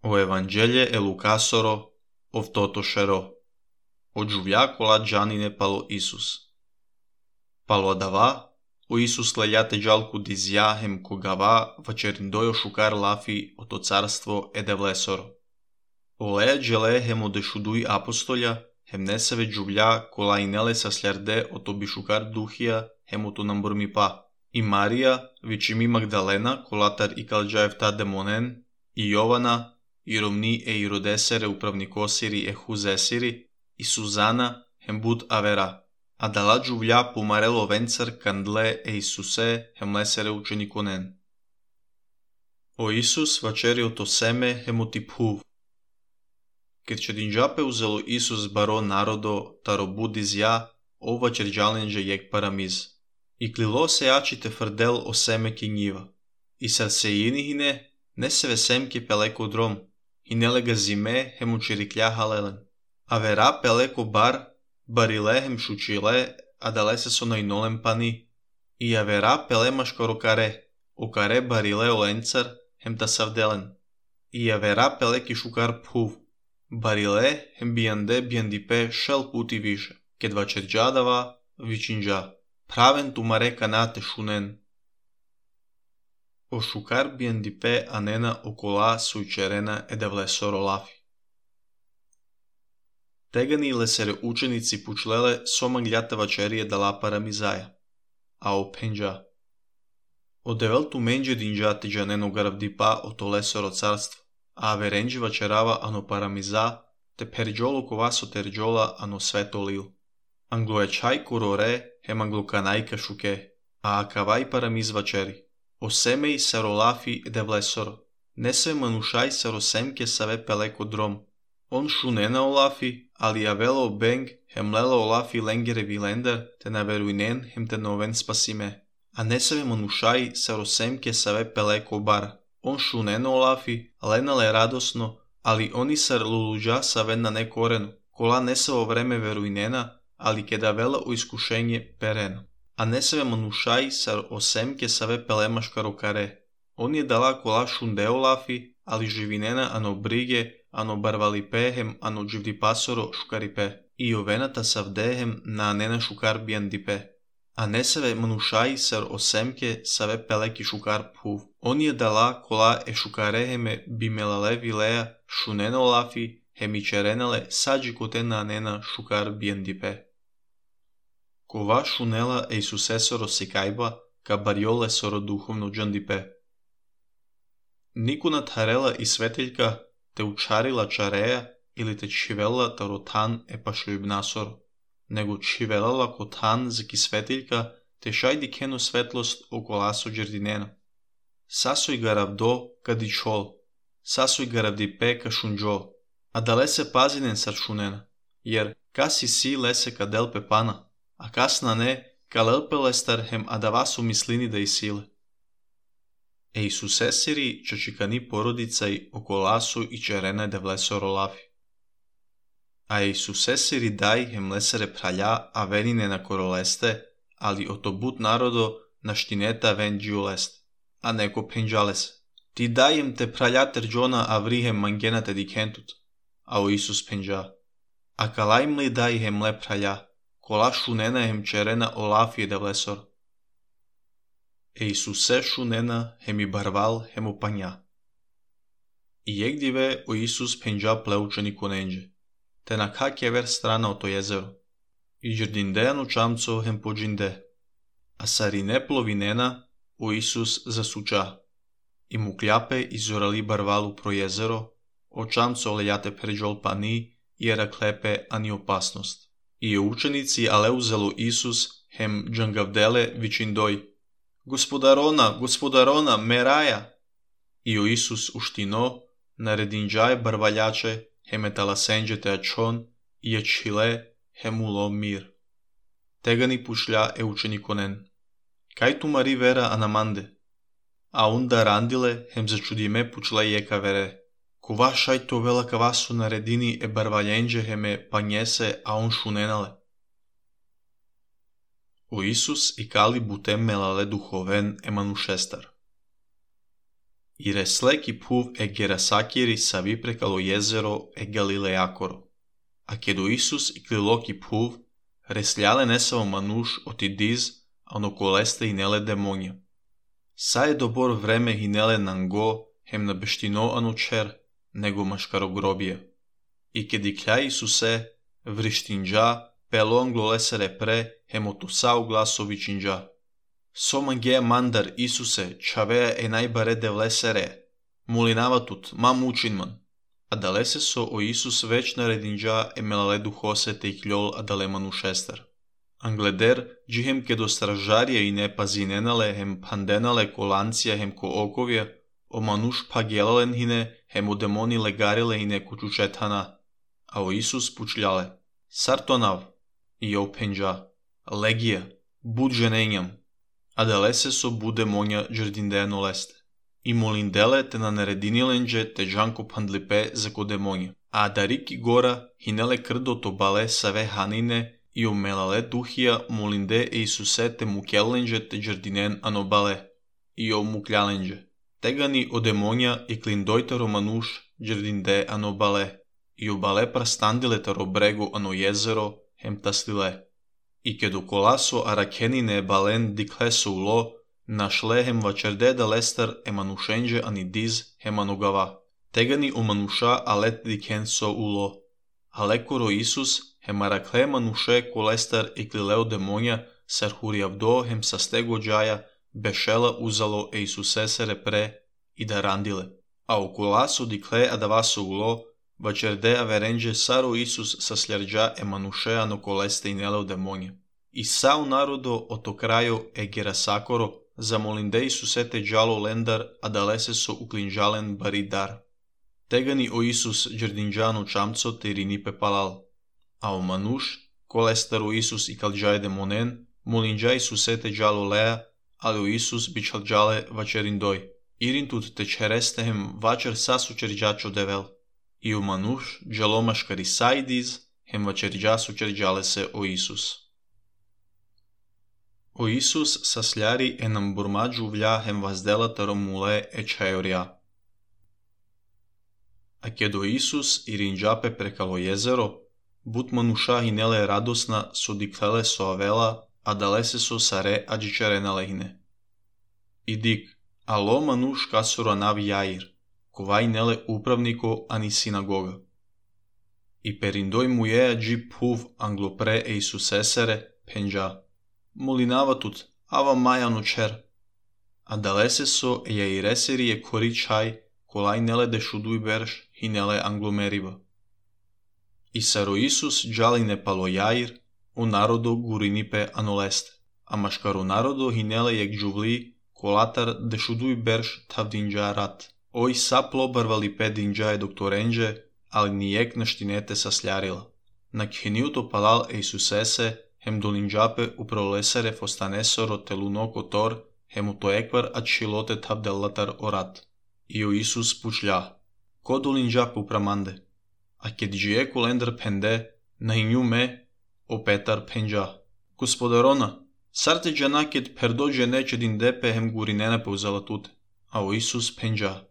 O Evanghelie e Lucasoro, ov-totošero. O giuvia cola gianine palo Isus. Palo adava, o Isus lejate gialcu dizia hem kogava văcerindoio șucar lafi o to carstvo edevlesoro. O leja gele hem o dešudui apostolja, hem neseve giuvia cola inele sa sljerde o to bišucar duhia hem o to namburmi pa. I Marija, vičimi Magdalena, colatar i kalđaevta demonen, i Jovana, i Romni e Irodesere upravnikosiri e huzesiri, i Suzana, hem bud avera. A dala giuvia pumarelo vencer candle e Isuse hem lesere učenikonen. O Isus vačerio to seme hem utiphuv. Kad će dinđape uzelo Isus baro narodo, taro budizja, o vačerđalenđe jek paramiz. I klilo se jačite frdel o seme kinjiva. I sarsejinihine, neseve semke peleko drom, i nelega zime hem učiriklja halelen. A vera peleko barile hem šučile, a dale se sonoj nolem pani. I a vera pelemaš korokare, o kare barile o lencar, hem ta savdelen. I a vera peleki šukar phuv, barile hem biandipe šel puti više, ked vačerđadava vičinđa. Praven tumare kanate šunen. O šukar biandipe anena okola sujčerena edevlesoro lafi. Tegani lesere učenici pučlele somangjata vačerije dala paramizaja. A o penđa. O develtu menđe dinđate džaneno garavdipa o to lesoro carstvo. A verenđi vačerava ano paramiza, te perđolo kovaso terđola ano sveto lil. Angloečaj kurore hem anglokanajka šuke, a akavaj paramiz vačeri. O semej sarolafi edevlesoro. Nese manušaj sarosemke save peleko drom. On šunena olafi, ali avelo beng hem lela olafi lengere vilender, te naveruinen hem te noven spasime. A neseve manušaj sarosemke save peleko bar. On šunena olafi, lenale radosno, ali oni sar luluđa save na nekorenu. Kola nesavo vreme veruinena, ali keda vela u iskušenje pereno. A neseve manušaj sar osemke save pelemaš karokare. On je dala kola šundeo lafi, ali živinena ano brige, ano barvalipehem, ano dživdipasoro šukaripe. I ovenata savdehem na anena šukar biandipe. A neseve manušaj sar osemke save peleki šukar phuv. On je dala kola e šukareheme bimelale vilea šuneno lafi, hemičerenale sađi kotena anena šukar biandipe. Kova šunela e Isusesoro sikajba, ka barjole soro duhovno džandipe. Nikuna tharela i sveteljka te učarila čareja ili te čivela tarotan e pašljubnasoro, nego čivelala kotan zaki sveteljka te šajdi kenu svetlost okolaso džerdinena. Sasoj garavdo ka dičol, sasoj garavdipe ka šunđol, a da lese pazinen sar šunena, jer kasi si lese ka delpe pana, a kasna ne, ka lelpelestar hem adavasu mislini da i sile. E Isusesiri čačikani porodicaj okolasu i čerene devlesoro lafi. A Isusesiri daj hem lesere pralja a venine na koroleste, ali otobut narodo na štineta ven džiulest, a neko penđales. Ti dajem te praljater džona a vrihem mangenate dikentut, a o Isus penđa. A kalajm li daj hem le pralja, kola šunena hem čerena olafi edevlesor. E Isuse šunena hem i barval hem opanja. I jegdive o Isus penđa pleučeni konenđe, te na kak je ver strana o to jezero. I džerdindejanu čamco hem pođinde, a sarine plovinena o Isus zasuča. I mukljape izorali barvalu pro jezero, o čamco lejate perđol pani, jera klepe ani opasnost. I učenici ale uzelo Isus hem džangavdele vičindoj, gospodarona, meraja! I o Isus uštino, naredinđaje barvaljače, hem etalasenđe te ačon, i ječile hem ulo mir. Tegani pušlja e učenikonen. Kaj tu mari vera anamande? A onda randile hem začudime pučle jeka vere. Kova šaj to vela kavasu naredini e barvaljenđe heme panjese a on šunenale. O Isus i kali butem melale duhoven e manušestar. I resleki puv e Gerasakiri savi prekalo jezero e Galileakoro. A kedo Isus i kliloki puv, resljale nesavo manuš oti diz, ano koleste hinele demonja. Sa je dobor vreme hinele nango, hem na beštino ano čer, nego maškarogrobija. I kedi klja Isuse, vrištinđa, pelo anglolesere pre, hem otosau glasovičinđa. Somangea mandar Isuse, čavea e najbare devlesere, mulinavatut, mam učinman. Adalese so o Isus već naredinđa e melaledu hose te ikljol adalemanu šestar. Angleder, džihem kedo stražarije i ne pazinenale hem pandenale kolancija hem ko okovje, o manuš pagjelalen hine hem o demoni legarile hine kučučetana, a o Isus pučljale. Sartonav, i o penđa, legija, bud ženenjam. Adalese so bude monja džerdindeno leste. I molindele te na neredinilenđe te džanko pandlipe za kodemonja. A dariki gora hinele krdo to bale save hanine i o melale duhija molinde e Isuse te mukjellenđe te džerdinen anobale. I o mukljalenđe. Tegani o demonja i klindojtaro manuš džerdinde anobale. I o bale prastandile taro brego ano jezero hem taslile. I kedo kolaso arakenine balen dikleso ulo, našle hem vačerde da lestar e manušenđe ani diz hem anogava. Tegani o manuša alet dikenso ulo. Alekoro Isus hem arakle manuše kolestar e klileo demonja sarhuriavdo hem sastego džaja bešela uzalo e Isusesere pre i da randile. A o kolaso dikle adavaso ulo, vačerde averenđe saro Isus sasljarđa e manuše ano koleste i neleo demonja. I sao narodo oto krajo e Gerasakoro zamolinde Isuse te džalo lendar adalese so uklinžalen baridar. Tegani o Isus džerdinđano čamco te rinipe palal. A o manuš, kolestaru Isus i kalđaje demonen, molinđa Isuse te džalo lea, ali o Isus bičalđale vačerindoj. Irintut te čerestehem vačer sasučerđačo devel. I o manuš, džalomaškari sajdiz, hem vačerđasu čerđale se o Isus. O Isus sasljari e nam burmađu vlja hem vazdela taro mule e čajorja. A kedo Isus i rinđape prekalo jezero, but manuša hinele radosna so diklele so avela, a dalese so sare ađičarena lehine. I dik, alo manuš kasoro nav jair, kovaj nele upravniko ani sinagoga. I perindoj mu je ađi puv anglopre e Isusesere, penđa. Molinavatut, ava majano čer. A dalese so e jaireseri je kori čaj, kolaj nele dešuduj berš hinele anglomeriva. I saro Isus džaline palo jair, o narodo gurinipe anoleste. A maškaro narodo hinele jek džuvli, kolatar dešuduj berš tavdinđa rat. Oj saplo barvali pe dinđaje doktorenđe, ali nijek naštinete sasljarila. Na khenjuto palal e Isusese, hem dolinđape uprolesere fostanesoro telunoko tor, hem uto ekvar ad šilote tavdelatar orat. I o Isus pučlja. Ko dolinđape upramande? A ked džije kulendar pende, na inju me, o Petar penđa. Gospodarona, sarte džana ked perdođe neće dindepe hem gurinene pauzalatute. A o Isus penđa.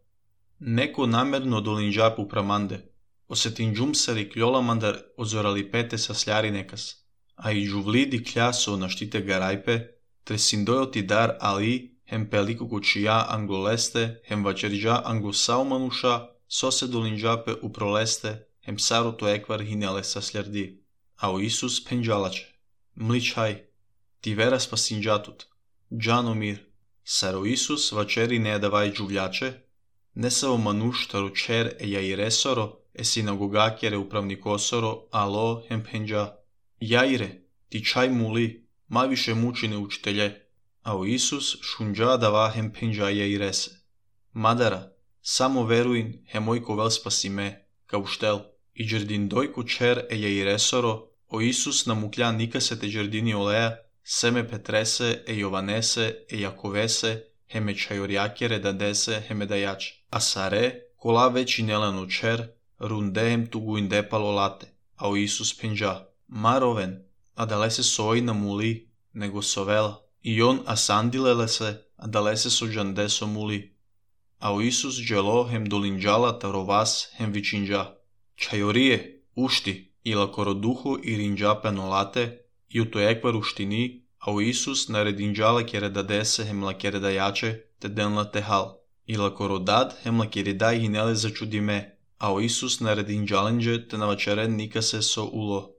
Neko namerno dolinđape upramande. Osetinđum sari kljola mandar ozorali pete sasljari nekas. A i džuvlidi kljaso na štite garajpe, tresindojoti dar ali, hem peliko kučija angloleste, hem vačerđa anglosao manuša, sose dolinđape uproleste, hem saroto ekvar hinele sasljardi. A o Isus penđalače. Mličaj, ti vera spasinđatut. Džano mir. Saro Isus vačeri ne davaj džuvljače, ne sao manuš taro čer e jairesoro, e sinagogakjere upravnikosoro, alo hem penđa. Jaire, ti čaj muli, ma više mučine učitelje, a o Isus šunđa dava hem penđa jairese. Madara, samo veruin, hemojko vel spasi me, kao štel, i džerdin dojko čer e jairesoro, o Isus namuklja nikase te džerdini olea, seme Petrese e Jovanese e Jakovese, heme čajorjakjere dadese heme dajač, a sare, kola veći nelano čer, rundehem tugu indepalo late, a o Isus penđa. Maroven, a dalese soi na muli, nego sovela. I on asandilele se, a dalese so džandeso muli. Au Isus gelo hem dolinjala taro vas hem vicinja. Chaiorie, uști, ila coro duhu i rinja penolate, iu to ekvar uștini, au Isus naredinjala keredadese hem la keredajače, te denla tehal. Ila coro dad hem la keredai hinele začudime, au Isus naredinjalenje te navačeren nikase so ulo.